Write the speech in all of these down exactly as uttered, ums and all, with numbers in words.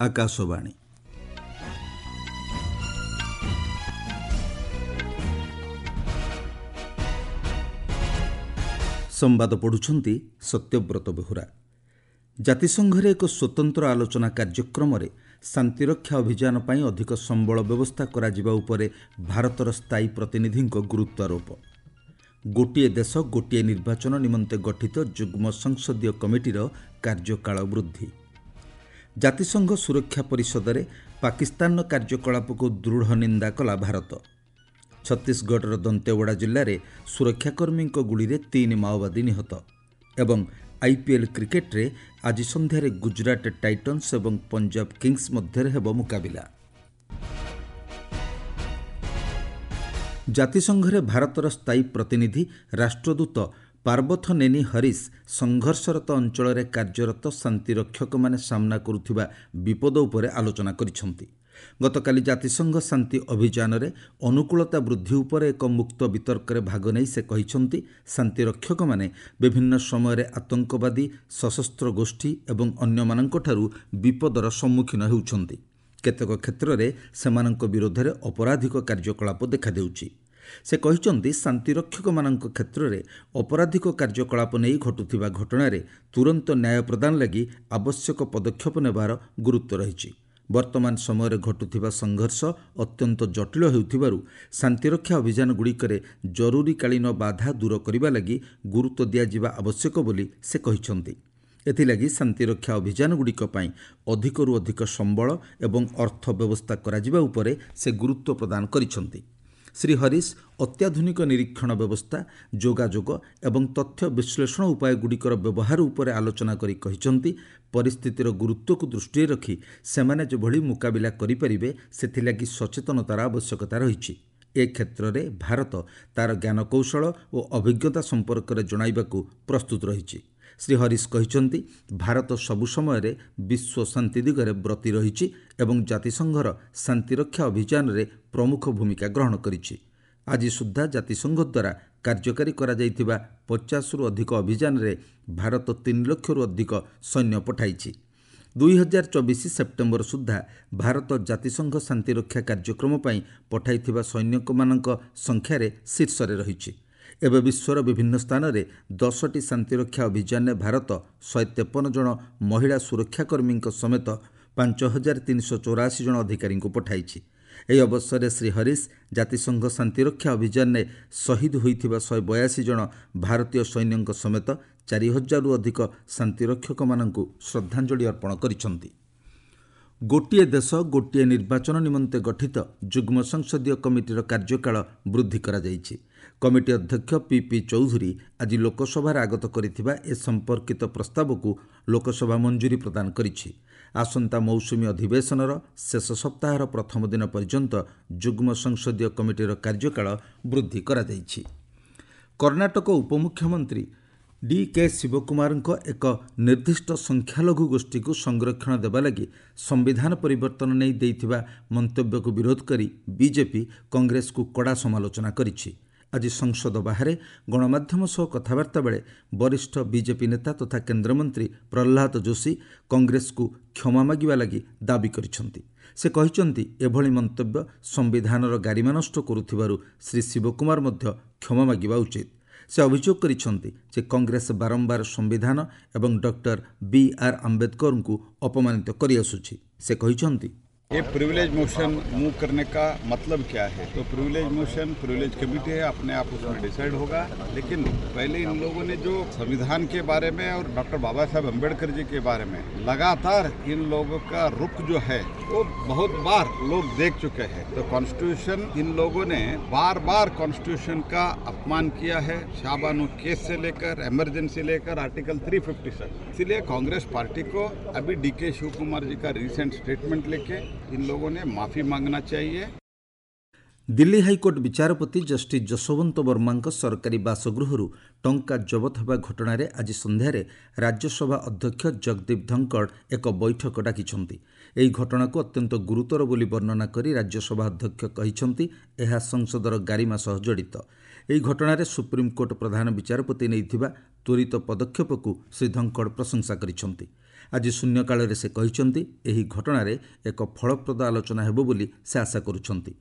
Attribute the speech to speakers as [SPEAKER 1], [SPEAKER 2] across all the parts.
[SPEAKER 1] ଆକାଶବାଣୀ। ସମ୍ବାଦ ପଢ଼ୁଛନ୍ତି ସତ୍ୟବ୍ରତ ବେହୁରା। ଜାତିସଂଘରେ ଏକ ସ୍ୱତନ୍ତ୍ର ଆଲୋଚନା କାର୍ଯ୍ୟକ୍ରମରେ ଶାନ୍ତିରକ୍ଷା ଅଭିଯାନ ପାଇଁ ଅଧିକ ସମ୍ବଳ ବ୍ୟବସ୍ଥା କରାଯିବା ଉପରେ ଭାରତର ସ୍ଥାୟୀ ପ୍ରତିନିଧିଙ୍କ ଗୁରୁତ୍ୱାରୋପ। ଗୋଟିଏ ଦେଶ ଗୋଟିଏ ନିର୍ବାଚନ ନିମନ୍ତେ ଗଠିତ ଯୁଗ୍ମ ସଂସଦୀୟ କମିଟିର କାର୍ଯ୍ୟକାଳ ବୃଦ୍ଧି। ଜାତିସଂଘ ସୁରକ୍ଷା ପରିଷଦରେ ପାକିସ୍ତାନର କାର୍ଯ୍ୟକଳାପକୁ ଦୃଢ଼ ନିନ୍ଦା କଲା ଭାରତ। ଛତିଶଗଡ଼ର ଦନ୍ତେୱାଡ଼ା ଜିଲ୍ଲାରେ ସୁରକ୍ଷାକର୍ମୀଙ୍କ ଗୁଳିରେ ତିନି ମାଓବାଦୀ ନିହତ। ଏବଂ ଆଇପିଏଲ୍ କ୍ରିକେଟରେ ଆଜି ସନ୍ଧ୍ୟାରେ ଗୁଜରାଟ ଟାଇଟନ୍ସ ଏବଂ ପଞ୍ଜାବ କିଙ୍ଗସ୍ ମଧ୍ୟରେ ହେବ ମୁକାବିଲା। ଜାତିସଂଘରେ ଭାରତର ସ୍ଥାୟୀ ପ୍ରତିନିଧି ରାଷ୍ଟ୍ରଦୂତ ପାର୍ବଥନେନି ହରିଶ ସଂଘର୍ଷରତ ଅଞ୍ଚଳରେ କାର୍ଯ୍ୟରତ ଶାନ୍ତିରକ୍ଷକମାନେ ସାମ୍ନା କରୁଥିବା ବିପଦ ଉପରେ ଆଲୋଚନା କରିଛନ୍ତି। ଗତକାଲି ଜାତିସଂଘ ଶାନ୍ତି ଅଭିଯାନରେ ଅନୁକୂଳତା ବୃଦ୍ଧି ଉପରେ ଏକ ମୁକ୍ତ ବିତର୍କରେ ଭାଗ ନେଇ ସେ କହିଛନ୍ତି, ଶାନ୍ତିରକ୍ଷକମାନେ ବିଭିନ୍ନ ସମୟରେ ଆତଙ୍କବାଦୀ, ସଶସ୍ତ୍ର ଗୋଷ୍ଠୀ ଏବଂ ଅନ୍ୟମାନଙ୍କଠାରୁ ବିପଦର ସମ୍ମୁଖୀନ ହେଉଛନ୍ତି। କେତେକ କ୍ଷେତ୍ରରେ ସେମାନଙ୍କ ବିରୋଧରେ ଅପରାଧିକ କାର୍ଯ୍ୟକଳାପ ଦେଖାଦେଉଛି। ସେ କହିଛନ୍ତି, ଶାନ୍ତିରକ୍ଷକମାନଙ୍କ କ୍ଷେତ୍ରରେ ଅପରାଧିକ କାର୍ଯ୍ୟକଳାପ ନେଇ ଘଟୁଥିବା ଘଟଣାରେ ତୁରନ୍ତ ନ୍ୟାୟ ପ୍ରଦାନ ଲାଗି ଆବଶ୍ୟକ ପଦକ୍ଷେପ ନେବାର ଗୁରୁତ୍ୱ ରହିଛି। ବର୍ତ୍ତମାନ ସମୟରେ ଘଟୁଥିବା ସଂଘର୍ଷ ଅତ୍ୟନ୍ତ ଜଟିଳ ହେଉଥିବାରୁ ଶାନ୍ତିରକ୍ଷା ଅଭିଯାନଗୁଡ଼ିକରେ ଜରୁରୀକାଳୀନ ବାଧା ଦୂର କରିବା ଲାଗି ଗୁରୁତ୍ୱ ଦିଆଯିବା ଆବଶ୍ୟକ ବୋଲି ସେ କହିଛନ୍ତି। ଏଥିଲାଗି ଶାନ୍ତିରକ୍ଷା ଅଭିଯାନଗୁଡ଼ିକ ପାଇଁ ଅଧିକରୁ ଅଧିକ ସମ୍ବଳ ଏବଂ ଅର୍ଥ ବ୍ୟବସ୍ଥା କରାଯିବା ଉପରେ ସେ ଗୁରୁତ୍ୱ ପ୍ରଦାନ କରିଛନ୍ତି। ଶ୍ରୀ ହରିଶ ଅତ୍ୟାଧୁନିକ ନିରୀକ୍ଷଣ ବ୍ୟବସ୍ଥା, ଯୋଗାଯୋଗ ଏବଂ ତଥ୍ୟ ବିଶ୍ଳେଷଣ ଉପାୟଗୁଡ଼ିକର ବ୍ୟବହାର ଉପରେ ଆଲୋଚନା କରି କହିଛନ୍ତି, ପରିସ୍ଥିତିର ଗୁରୁତ୍ୱକୁ ଦୃଷ୍ଟିରେ ରଖି ସେମାନେ ଯେଭଳି ମୁକାବିଲା କରିପାରିବେ ସେଥିଲାଗି ସଚେତନତାର ଆବଶ୍ୟକତା ରହିଛି। ଏ କ୍ଷେତ୍ରରେ ଭାରତ ତା'ର ଜ୍ଞାନକୌଶଳ ଓ ଅଭିଜ୍ଞତା ସମ୍ପର୍କରେ ଜଣାଇବାକୁ ପ୍ରସ୍ତୁତ ରହିଛି। ଶ୍ରୀ ହରିଶ କହିଛନ୍ତି, ଭାରତ ସବୁ ସମୟରେ ବିଶ୍ୱ ଶାନ୍ତି ଦିଗରେ ବ୍ରତୀ ରହିଛି ଏବଂ ଜାତିସଂଘର ଶାନ୍ତିରକ୍ଷା ଅଭିଯାନରେ ପ୍ରମୁଖ ଭୂମିକା ଗ୍ରହଣ କରିଛି। ଆଜି ସୁଦ୍ଧା ଜାତିସଂଘ ଦ୍ୱାରା କାର୍ଯ୍ୟକାରୀ କରାଯାଇଥିବା ପଚାଶରୁ ଅଧିକ ଅଭିଯାନରେ ଭାରତ ତିନି ଲକ୍ଷରୁ ଅଧିକ ସୈନ୍ୟ ପଠାଇଛି। ଦୁଇ ହଜାର ଚବିଶ ସେପ୍ଟେମ୍ବର ସୁଦ୍ଧା ଭାରତ ଜାତିସଂଘ ଶାନ୍ତିରକ୍ଷା କାର୍ଯ୍ୟକ୍ରମ ପାଇଁ ପଠାଇଥିବା ସୈନିକମାନଙ୍କ ସଂଖ୍ୟାରେ ଶୀର୍ଷରେ ରହିଛି। ଏବେ ବିଶ୍ୱର ବିଭିନ୍ନ ସ୍ଥାନରେ ଦଶଟି ଶାନ୍ତିରକ୍ଷା ଅଭିଯାନରେ ଭାରତ ଶହେ ତେପନ ଜଣ ମହିଳା ସୁରକ୍ଷାକର୍ମୀଙ୍କ ସମେତ ପାଞ୍ଚ ହଜାର ତିନିଶହ ଚଉରାଅଶୀ ଜଣ ଅଧିକାରୀଙ୍କୁ ପଠାଇଛି। ଏହି ଅବସରରେ ଶ୍ରୀ ହରିଶ ଜାତିସଂଘ ଶାନ୍ତିରକ୍ଷା ଅଭିଯାନରେ ଶହୀଦ ହୋଇଥିବା ଶହେ ବୟାଅଶୀ ଜଣ ଭାରତୀୟ ସୈନ୍ୟଙ୍କ ସମେତ ଚାରି ହଜାରରୁ ଅଧିକ ଶାନ୍ତିରକ୍ଷକମାନଙ୍କୁ ଶ୍ରଦ୍ଧାଞ୍ଜଳି ଅର୍ପଣ କରିଛନ୍ତି। ଗୋଟିଏ ଦେଶ ଗୋଟିଏ ନିର୍ବାଚନ ନିମନ୍ତେ ଗଠିତ ଯୁଗ୍ମ ସଂସଦୀୟ କମିଟିର କାର୍ଯ୍ୟକାଳ ବୃଦ୍ଧି କରାଯାଇଛି। କମିଟି ଅଧ୍ୟକ୍ଷ ପି ପି ଚୌଧୁରୀ ଆଜି ଲୋକସଭାରେ ଆଗତ କରିଥିବା ଏ ସମ୍ପର୍କିତ ପ୍ରସ୍ତାବକୁ ଲୋକସଭା ମଞ୍ଜୁରୀ ପ୍ରଦାନ କରିଛି। ଆସନ୍ତା ମୌସୁମୀ ଅଧିବେଶନର ଶେଷ ସପ୍ତାହର ପ୍ରଥମ ଦିନ ପର୍ଯ୍ୟନ୍ତ ଯୁଗ୍ମ ସଂସଦୀୟ କମିଟିର କାର୍ଯ୍ୟକାଳ ବୃଦ୍ଧି କରାଯାଇଛି। କର୍ଣ୍ଣାଟକ ଉପମୁଖ୍ୟମନ୍ତ୍ରୀ ଡି କେ ଶିବକୁମାରଙ୍କ ଏକ ନିର୍ଦ୍ଦିଷ୍ଟ ସଂଖ୍ୟାଲଘୁ ଗୋଷ୍ଠୀକୁ ସଂରକ୍ଷଣ ଦେବା ଲାଗି ସମ୍ବିଧାନ ପରିବର୍ତ୍ତନ ନେଇ ଦେଇଥିବା ମନ୍ତବ୍ୟକୁ ବିରୋଧ କରି ବିଜେପି କଂଗ୍ରେସକୁ କଡ଼ା ସମାଲୋଚନା କରିଛି। ଆଜି ସଂସଦ ବାହାରେ ଗଣମାଧ୍ୟମ ସହ କଥାବାର୍ତ୍ତା ବେଳେ ବରିଷ୍ଠ ବିଜେପି ନେତା ତଥା କେନ୍ଦ୍ରମନ୍ତ୍ରୀ ପ୍ରହ୍ଲାଦ ଯୋଶୀ କଂଗ୍ରେସକୁ କ୍ଷମା ମାଗିବା ଲାଗି ଦାବି କରିଛନ୍ତି। ସେ କହିଛନ୍ତି, ଏଭଳି ମନ୍ତବ୍ୟ ସମ୍ବିଧାନର ଗାରିମା ନଷ୍ଟ କରୁଥିବାରୁ ଶ୍ରୀ ଶିବକୁମାର ମଧ୍ୟ କ୍ଷମା ମାଗିବା ଉଚିତ। ସେ ଅଭିଯୋଗ କରିଛନ୍ତି ଯେ କଂଗ୍ରେସ ବାରମ୍ବାର ସମ୍ବିଧାନ ଏବଂ ଡକ୍ଟର ବି ଆର୍ ଆମ୍ବେଦକରଙ୍କୁ ଅପମାନିତ କରିଆସୁଛି। ସେ କହିଛନ୍ତି,
[SPEAKER 2] ये प्रिविलेज मोशन मूव करने का मतलब क्या है? तो प्रिविलेज मोशन प्रिविलेज कमेटी है, अपने आप उसमें डिसाइड होगा। लेकिन पहले इन लोगों ने जो संविधान के बारे में और डॉक्टर बाबा साहब अम्बेडकर जी के बारे में लगातार इन लोगों का रुख जो है वो बहुत बार लोग देख चुके हैं। तो कॉन्स्टिट्यूशन इन लोगों ने बार बार कॉन्स्टिट्यूशन का अपमान किया है, शाहबानो केस से लेकर इमरजेंसी लेकर आर्टिकल तीन सौ सत्तावन। इसलिए कांग्रेस पार्टी को अभी डी के शिव कुमार जी का रिसेंट स्टेटमेंट लेके इन लोगों ने माफी मांगना चाहिए।
[SPEAKER 1] ଦିଲ୍ଲୀ ହାଇକୋର୍ଟ ବିଚାରପତି ଜଷ୍ଟିସ୍ ଯଶୋବନ୍ତ ବର୍ମାଙ୍କ ସରକାରୀ ବାସଗୃହରୁ ଟଙ୍କା ଜବତ ହେବା ଘଟଣାରେ ଆଜି ସନ୍ଧ୍ୟାରେ ରାଜ୍ୟସଭା ଅଧ୍ୟକ୍ଷ ଜଗଦୀପ ଧନଖଡ଼ ଏକ ବୈଠକ ଡାକିଛନ୍ତି। ଏହି ଘଟଣାକୁ ଅତ୍ୟନ୍ତ ଗୁରୁତର ବୋଲି ବର୍ଣ୍ଣନା କରି ରାଜ୍ୟସଭା ଅଧ୍ୟକ୍ଷ କହିଛନ୍ତି, ଏହା ସଂସଦର ଗାରିମା ସହ ଜଡ଼ିତ। ଏହି ଘଟଣାରେ ସୁପ୍ରିମକୋର୍ଟ ପ୍ରଧାନ ବିଚାରପତି ନେଇଥିବା ତ୍ୱରିତ ପଦକ୍ଷେପକୁ ଶ୍ରୀ ଧନଖଡ଼ ପ୍ରଶଂସା କରିଛନ୍ତି। ଆଜି ଶୂନ୍ୟକାଳରେ ସେ କହିଛନ୍ତି, ଏହି ଘଟଣାରେ ଏକ ଫଳପ୍ରଦ ଆଲୋଚନା ହେବ ବୋଲି ସେ ଆଶା କରୁଛନ୍ତି।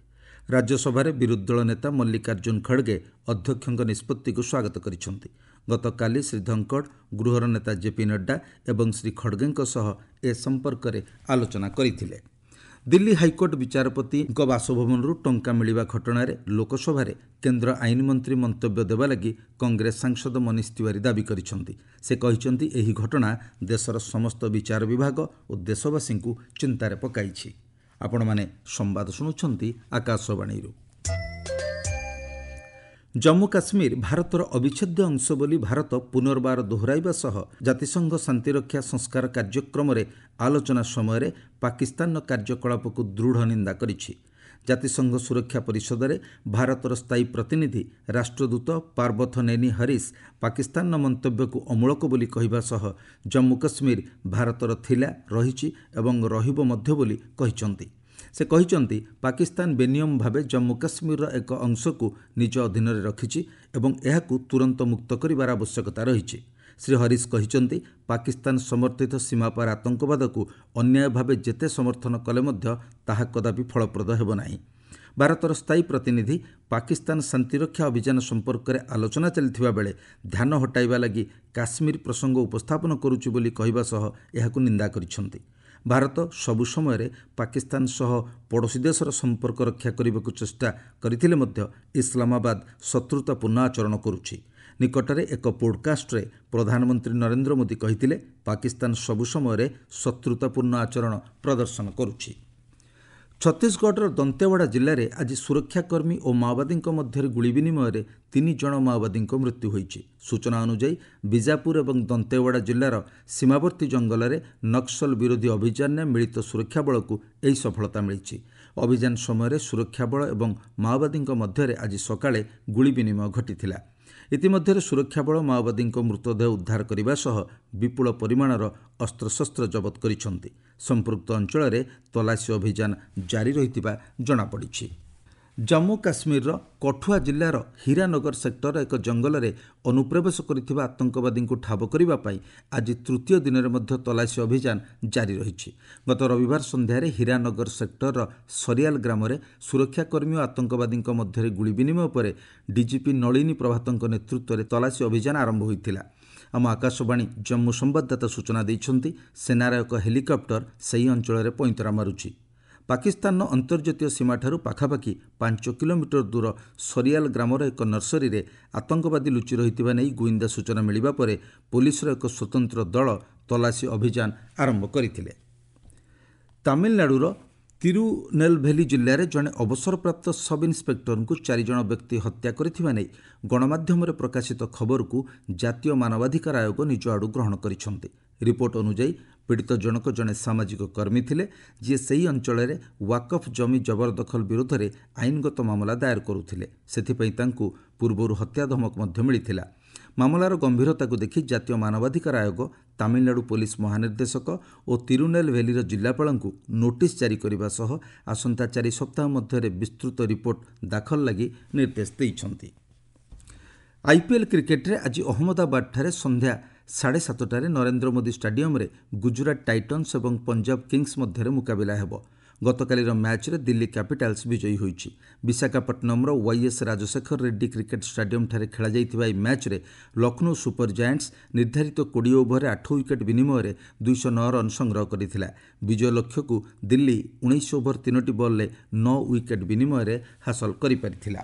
[SPEAKER 1] ରାଜ୍ୟସଭାରେ ବିରୋଧୀ ଦଳ ନେତା ମଲ୍ଲିକାର୍ଜୁନ ଖଡ଼ଗେ ଅଧ୍ୟକ୍ଷଙ୍କ ନିଷ୍ପତ୍ତିକୁ ସ୍ୱାଗତ କରିଛନ୍ତି। ଗତକାଲି ଶ୍ରୀ ଧଙ୍କଡ଼ ଗୃହର ନେତା ଜେପି ନଡ୍ଡା ଏବଂ ଶ୍ରୀ ଖଡ଼ଗେଙ୍କ ସହ ଏ ସମ୍ପର୍କରେ ଆଲୋଚନା କରିଥିଲେ। ଦିଲ୍ଲୀ ହାଇକୋର୍ଟ ବିଚାରପତିଙ୍କ ବାସଭବନରୁ ଟଙ୍କା ମିଳିବା ଘଟଣାରେ ଲୋକସଭାରେ କେନ୍ଦ୍ର ଆଇନ ମନ୍ତ୍ରୀ ମନ୍ତବ୍ୟ ଦେବା ଲାଗି କଂଗ୍ରେସ ସାଂସଦ ମନୀଷ ତିୱାରୀ ଦାବି କରିଛନ୍ତି। ସେ କହିଛନ୍ତି, ଏହି ଘଟଣା ଦେଶର ସମସ୍ତ ବିଚାର ବିଭାଗ ଓ ଦେଶବାସୀଙ୍କୁ ଚିନ୍ତାରେ ପକାଇଛି। ଆପଣମାନେ ସମ୍ବାଦ ଶୁଣୁଛନ୍ତି ଆକାଶବାଣୀରୁ। ଜମ୍ମୁ କାଶ୍ମୀର ଭାରତର ଅବିଚ୍ଛେଦ୍ୟ ଅଂଶ ବୋଲି ଭାରତ ପୁନର୍ବାର ଦୋହରାଇବା ସହ ଜାତିସଂଘ ଶାନ୍ତିରକ୍ଷା ସଂସ୍କାର କାର୍ଯ୍ୟକ୍ରମରେ ଆଲୋଚନା ସମୟରେ ପାକିସ୍ତାନର କାର୍ଯ୍ୟକଳାପକୁ ଦୃଢ଼ ନିନ୍ଦା କରିଛି। ଜାତିସଂଘ ସୁରକ୍ଷା ପରିଷଦରେ ଭାରତର ସ୍ଥାୟୀ ପ୍ରତିନିଧି ରାଷ୍ଟ୍ରଦୂତ ପାର୍ବଥନେନି ହରିଶ ପାକିସ୍ତାନର ମନ୍ତବ୍ୟକୁ ଅମୂଳକ ବୋଲି କହିବା ସହ ଜମ୍ମୁ କାଶ୍ମୀର ଭାରତର ଥିଲା, ରହିଛି ଏବଂ ରହିବ ମଧ୍ୟ ବୋଲି କହିଛନ୍ତି। ସେ କହିଛନ୍ତି, ପାକିସ୍ତାନ ବେନିୟମ ଭାବେ ଜମ୍ମୁ କାଶ୍ମୀରର ଏକ ଅଂଶକୁ ନିଜ ଅଧୀନରେ ରଖିଛି ଏବଂ ଏହାକୁ ତୁରନ୍ତ ମୁକ୍ତ କରିବାର ଆବଶ୍ୟକତା ରହିଛି। ଶ୍ରୀ ହରିଶ କହିଛନ୍ତି, ପାକିସ୍ତାନ ସମର୍ଥିତ ସୀମାପାର ଆତଙ୍କବାଦକୁ ଅନ୍ୟାୟ ଭାବେ ଯେତେ ସମର୍ଥନ କଲେ ମଧ୍ୟ ତାହା କଦାପି ଫଳପ୍ରଦ ହେବ ନାହିଁ। ଭାରତର ସ୍ଥାୟୀ ପ୍ରତିନିଧି ପାକିସ୍ତାନ ଶାନ୍ତିରକ୍ଷା ଅଭିଯାନ ସମ୍ପର୍କରେ ଆଲୋଚନା ଚାଲିଥିବା ବେଳେ ଧ୍ୟାନ ହଟାଇବା ଲାଗି କାଶ୍ମୀର ପ୍ରସଙ୍ଗ ଉପସ୍ଥାପନ କରୁଛି ବୋଲି କହିବା ସହ ଏହାକୁ ନିନ୍ଦା କରିଛନ୍ତି। ଭାରତ ସବୁ ସମୟରେ ପାକିସ୍ତାନ ସହ ପଡ଼ୋଶୀ ଦେଶର ସମ୍ପର୍କ ରକ୍ଷା କରିବାକୁ ଚେଷ୍ଟା କରିଥିଲେ ମଧ୍ୟ ଇସଲାମାବାଦ ଶତ୍ରୁତାପୂର୍ଣ୍ଣ ଆଚରଣ କରୁଛି। ନିକଟରେ ଏକ ପୋଡକାଷ୍ଟରେ ପ୍ରଧାନମନ୍ତ୍ରୀ ନରେନ୍ଦ୍ର ମୋଦି କହିଥିଲେ, ପାକିସ୍ତାନ ସବୁ ସମୟରେ ଶତ୍ରୁତାପୂର୍ଣ୍ଣ ଆଚରଣ ପ୍ରଦର୍ଶନ କରୁଛି। ଛତିଶଗଡ଼ର ଦନ୍ତେୱାଡ଼ା ଜିଲ୍ଲାରେ ଆଜି ସୁରକ୍ଷାକର୍ମୀ ଓ ମାଓବାଦୀଙ୍କ ମଧ୍ୟରେ ଗୁଳି ବିନିମୟରେ ତିନି ଜଣ ମାଓବାଦୀଙ୍କ ମୃତ୍ୟୁ ହୋଇଛି। ସୂଚନା ଅନୁଯାୟୀ, ବିଜାପୁର ଏବଂ ଦନ୍ତେୱାଡ଼ା ଜିଲ୍ଲାର ସୀମାବର୍ତ୍ତୀ ଜଙ୍ଗଲରେ ନକ୍ସଲ ବିରୋଧୀ ଅଭିଯାନରେ ମିଳିତ ସୁରକ୍ଷା ବଳକୁ ଏହି ସଫଳତା ମିଳିଛି। ଅଭିଯାନ ସମୟରେ ସୁରକ୍ଷା ବଳ ଏବଂ ମାଓବାଦୀଙ୍କ ମଧ୍ୟରେ ଆଜି ସକାଳେ ଗୁଳି ବିନିମୟ ଘଟିଥିଲା। ଇତିମଧ୍ୟରେ ସୁରକ୍ଷା ବଳ ମାଓବାଦୀଙ୍କ ମୃତଦେହ ଉଦ୍ଧାର କରିବା ସହ ବିପୁଳ ପରିମାଣର ଅସ୍ତ୍ରଶସ୍ତ୍ର ଜବତ କରିଛନ୍ତି। ସମ୍ପୃକ୍ତ ଅଞ୍ଚଳରେ ତଲାସୀ ଅଭିଯାନ ଜାରି ରହିଥିବା ଜଣାପଡ଼ିଛି। ଜମ୍ମୁ କାଶ୍ମୀରର କଠୁଆ ଜିଲ୍ଲାର ହୀରାନଗର ସେକ୍ଟରର ଏକ ଜଙ୍ଗଲରେ ଅନୁପ୍ରବେଶ କରିଥିବା ଆତଙ୍କବାଦୀଙ୍କୁ ଠାବ କରିବା ପାଇଁ ଆଜି ତୃତୀୟ ଦିନରେ ମଧ୍ୟ ତଲାସୀ ଅଭିଯାନ ଜାରି ରହିଛି। ଗତ ରବିବାର ସନ୍ଧ୍ୟାରେ ହୀରାନଗର ସେକ୍ଟରର ସରିଆଲ ଗ୍ରାମରେ ସୁରକ୍ଷାକର୍ମୀ ଓ ଆତଙ୍କବାଦୀଙ୍କ ମଧ୍ୟରେ ଗୁଳି ବିନିମୟ ପରେ ଡିଜିପି ନଳିନୀ ପ୍ରଭାତଙ୍କ ନେତୃତ୍ୱରେ ତଲାସୀ ଅଭିଯାନ ଆରମ୍ଭ ହୋଇଥିଲା। ଆମ ଆକାଶବାଣୀ ଜମ୍ମୁ ସମ୍ବାଦଦାତା ସୂଚନା ଦେଇଛନ୍ତି, ସେନାର ଏକ ହେଲିକପ୍ଟର ସେହି ଅଞ୍ଚଳରେ ପଇଁତରା ମାରୁଛି। ପାକିସ୍ତାନର ଅନ୍ତର୍ଜାତୀୟ ସୀମାଠାରୁ ପାଖାପାଖି ପାଞ୍ଚ କିଲୋମିଟର ଦୂର ସରିଆଲ ଗ୍ରାମର ଏକ ନର୍ସରୀରେ ଆତଙ୍କବାଦୀ ଲୁଚି ରହିଥିବା ନେଇ ଗୁଇନ୍ଦା ସୂଚନା ମିଳିବା ପରେ ପୋଲିସର ଏକ ସ୍ୱତନ୍ତ୍ର ଦଳ ତଲାସୀ ଅଭିଯାନ ଆରମ୍ଭ କରିଥିଲେ। ତାମିଲନାଡୁର ତିରୁନେଲଭେଲି ଜିଲ୍ଲାରେ ଜଣେ ଅବସରପ୍ରାପ୍ତ ସବ୍ ଇନ୍ସପେକ୍ଟରଙ୍କୁ ଚାରିଜଣ ବ୍ୟକ୍ତି ହତ୍ୟା କରିଥିବା ନେଇ ଗଣମାଧ୍ୟମରେ ପ୍ରକାଶିତ ଖବରକୁ ଜାତୀୟ ମାନବାଧିକାର ଆୟୋଗ ନିଜ ଆଡ଼ୁ ଗ୍ରହଣ କରିଛନ୍ତି। ରିପୋର୍ଟ ଅନୁଯାୟୀ, ପୀଡ଼ିତ ଜଣକ ଜଣେ ସାମାଜିକ କର୍ମୀ ଥିଲେ, ଯିଏ ସେହି ଅଞ୍ଚଳରେ ୱାକଫ୍ ଜମି ଜବରଦଖଲ ବିରୋଧରେ ଆଇନଗତ ମାମଲା ଦାୟର କରୁଥିଲେ। ସେଥିପାଇଁ ତାଙ୍କୁ ପୂର୍ବରୁ ହତ୍ୟା ଧମକ ମଧ୍ୟ ମିଳିଥିଲା। ମାମଲାର ଗମ୍ଭୀରତାକୁ ଦେଖି ଜାତୀୟ ମାନବାଧିକାର ଆୟୋଗ ତାମିଲନାଡୁ ପୋଲିସ ମହାନିର୍ଦ୍ଦେଶକ ଓ ତିରୁନେଲଭେଲିର ଜିଲ୍ଲାପାଳଙ୍କୁ ନୋଟିସ୍ ଜାରି କରିବା ସହ ଆସନ୍ତା ଚାରି ସପ୍ତାହ ମଧ୍ୟରେ ବିସ୍ତୃତ ରିପୋର୍ଟ ଦାଖଲ ଲାଗି ନିର୍ଦ୍ଦେଶ ଦେଇଛନ୍ତି। ଆଇପିଏଲ୍ କ୍ରିକେଟରେ ଆଜି ଅହମ୍ମଦାବାଦଠାରେ ସନ୍ଧ୍ୟା ସାଢ଼େ ସାତଟାରେ ନରେନ୍ଦ୍ର ମୋଦି ଷ୍ଟାଡିୟମରେ ଗୁଜୁରାଟ ଟାଇଟନ୍ସ ଏବଂ ପଞ୍ଜାବ କିଙ୍ଗସ୍ ମଧ୍ୟରେ ମୁକାବିଲା ହେବ। ଗତକାଲିର ମ୍ୟାଚ୍ରେ ଦିଲ୍ଲୀ କ୍ୟାପିଟାଲ୍ସ ବିଜୟୀ ହୋଇଛି। ବିଶାଖାପଟ୍ଟନମର ୱାଇଏସ୍ ରାଜଶେଖର ରେଡ୍ଡି କ୍ରିକେଟ୍ ଷ୍ଟାଡିୟମଠାରେ ଖେଳାଯାଇଥିବା ଏହି ମ୍ୟାଚ୍ରେ ଲକ୍ଷ୍ନୌ ସୁପର ଜାଏଣ୍ଟସ୍ ନିର୍ଦ୍ଧାରିତ କୋଡ଼ିଏ ଓଭରରେ ଆଠ ୱିକେଟ୍ ବିନିମୟରେ ଦୁଇଶହ ନଅ ରନ୍ ସଂଗ୍ରହ କରିଥିଲା। ବିଜୟ ଲକ୍ଷ୍ୟକୁ ଦିଲ୍ଲୀ ଉଣେଇଶ ଓଭର ତିନୋଟି ବଲ୍ରେ ନଅ ୱିକେଟ୍ ବିନିମୟରେ ହାସଲ କରିପାରିଥିଲା।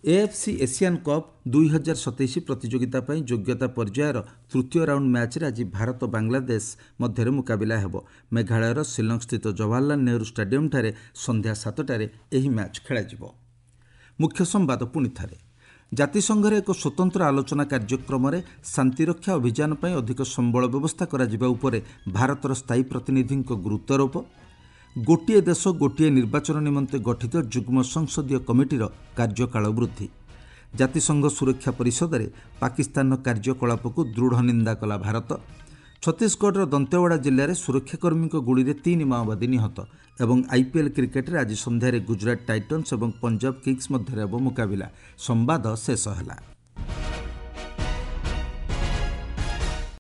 [SPEAKER 1] ଏଏଫ୍ସି ଏସିଆନ୍ କପ୍ ଦୁଇ ହଜାର ସତେଇଶ ପ୍ରତିଯୋଗିତା ପାଇଁ ଯୋଗ୍ୟତା ପର୍ଯ୍ୟାୟର ତୃତୀୟ ରାଉଣ୍ଡ ମ୍ୟାଚ୍ରେ ଆଜି ଭାରତ ବାଂଲାଦେଶ ମଧ୍ୟରେ ମୁକାବିଲା ହେବ। ମେଘାଳୟର ଶିଲଂସ୍ଥିତ ଜବାହରଲାଲ ନେହେରୁ ଷ୍ଟାଡିୟମଠାରେ ସନ୍ଧ୍ୟା ସାତଟାରେ ଏହି ମ୍ୟାଚ୍ ଖେଳାଯିବ। ମୁଖ୍ୟ ସମ୍ବାଦ ପୁଣି ଥରେ। ଜାତିସଂଘରେ ଏକ ସ୍ୱତନ୍ତ୍ର ଆଲୋଚନା କାର୍ଯ୍ୟକ୍ରମରେ ଶାନ୍ତିରକ୍ଷା ଅଭିଯାନ ପାଇଁ ଅଧିକ ସମ୍ବଳ ବ୍ୟବସ୍ଥା କରାଯିବା ଉପରେ ଭାରତର ସ୍ଥାୟୀ ପ୍ରତିନିଧିଙ୍କ ଗୁରୁତ୍ୱାରୋପ। ଗୋଟିଏ ଦେଶ ଗୋଟିଏ ନିର୍ବାଚନ ନିମନ୍ତେ ଗଠିତ ଯୁଗ୍ମ ସଂସଦୀୟ କମିଟିର କାର୍ଯ୍ୟକାଳ ବୃଦ୍ଧି। ଜାତିସଂଘ ସୁରକ୍ଷା ପରିଷଦରେ ପାକିସ୍ତାନର କାର୍ଯ୍ୟକଳାପକୁ ଦୃଢ଼ ନିନ୍ଦା କଲା ଭାରତ। ଛତିଶଗଡ଼ର ଦନ୍ତେୱାଡ଼ା ଜିଲ୍ଲାରେ ସୁରକ୍ଷାକର୍ମୀଙ୍କ ଗୁଳିରେ ତିନି ମାଓବାଦୀ ନିହତ। ଏବଂ ଆଇପିଏଲ୍ କ୍ରିକେଟରେ ଆଜି ସନ୍ଧ୍ୟାରେ ଗୁଜରାଟ ଟାଇଟନ୍ସ ଏବଂ ପଞ୍ଜାବ କିଙ୍ଗସ୍ ମଧ୍ୟରେ ହେବ ମୁକାବିଲା। ସମ୍ବାଦ ଶେଷ ହେଲା।